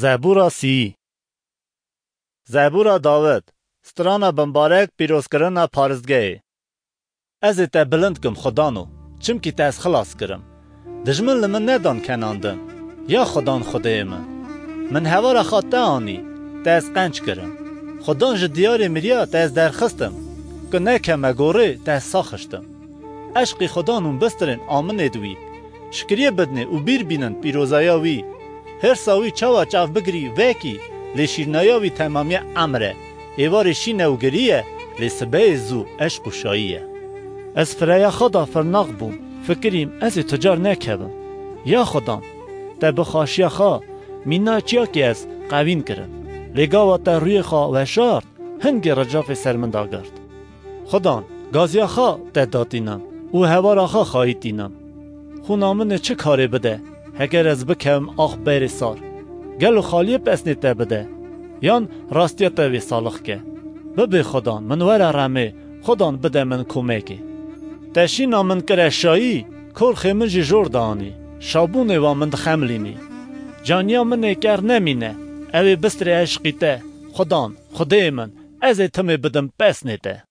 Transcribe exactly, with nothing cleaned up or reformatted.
Zebûra sî. Zebûra Dawid. Strana bimbarek, pîrozkirina paristgehê. Ez ê te bilind kim, Xwedano, çimkî te ez xilas kirim. Dijmin li min nedan kenandin. Ya Xwedan Xwedê min, min hevara xwe te anî, te ez qenc kirim. Xwedan ji diyarê miriya te ez derxistim, ku nekeme gorê te ez saxiştim. Eşqî Xwedan hûn bistirên aminê di wî. Şikiriyê bidinê û bîr bînin pîrozaya wî. Hêrsa wî çawa çav bigirî vekî, lê şîrnaya wî temamiya emr e. Êvarê şîn e û girî ye, lê sibehê zû eşq û şayî ye. Ez fireya xwe da firnax bûm, fikirîm ez ê tu car nekevim. Ya Xudan, te bi xweşiya xwe mîna çiyakê ez qewîn kirin. Lê gava te rûyê xwe weşart, hingê ricafê ser min da girt. Xudan, gaziya xwe te datînim û hevara xwe xayîtînim. Xûna min ê çi karê bide, heger ez bikevim ax berê sar? Gelo xaliyê pesnê te bide, yan rastiya te vê salix ke? Bibê Xudan, min were remê, Xudan bide min komekê. Te şîna min kire şayî, korxê min jî jor dianî, şabûnê wa min dixemilînî. Caniya min ê ker nemîne, ew ê bistirê eşqî te, Xudan, Xwedê min, ez ê timê bidim pesnê te.